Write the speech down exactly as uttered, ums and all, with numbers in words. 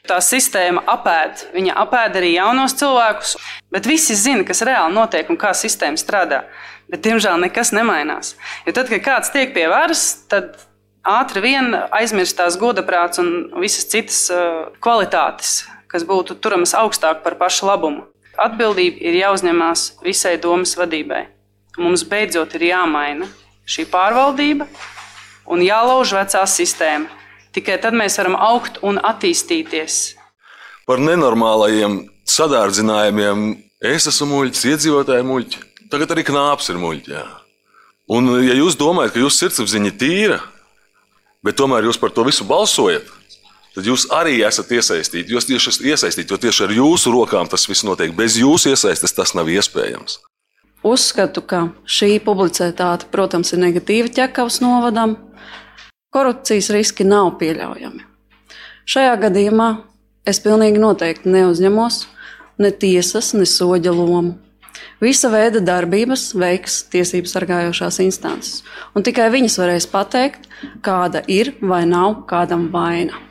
Tā sistēma apēd, viņa apēd arī jaunos cilvēkus, bet visi zina, kas reāli notiek un kā sistēma strādā. Bet, diemžēl, nekas nemainās. Jo tad, kad kāds tiek pie varas, tad ātri vien aizmirstās godaprāts un visas citas kvalitātes, kas būtu turamas augstāk par pašu labumu. Atbildība ir jāuzņemās visai domas vadībai. Mums beidzot ir jāmaina šī pārvaldība un jālauž vecā sistēma. Tikai tad mēs varam augt un attīstīties. Par nenormālajiem sadārdzinājumiem es esmu muļķis, iedzīvotāji muļķi. Tagad arī Knāps ir muļķi. Jā. Un ja jūs domājat, ka jūsu sirdsapziņa ir tīra, bet tomēr jūs par to visu balsojat, tad jūs arī esat iesaistīti. Jūs tieši esat iesaistīti, jo tieši ar jūsu rokām tas viss notiek. Bez jūsu iesaistes tas nav iespējams. Uzskatu, ka šī publicitāte, protams, ir negatīva Ķekavas novadam. Korupcijas riski nav pieļaujami. Šajā gadījumā es pilnīgi noteikti neuzņemos ne tiesas, ne soģa lomu. Visa veida darbības veiks tiesību sargājošās instances, un tikai viņas varēs pateikt, kāda ir vai nav kādam vaina.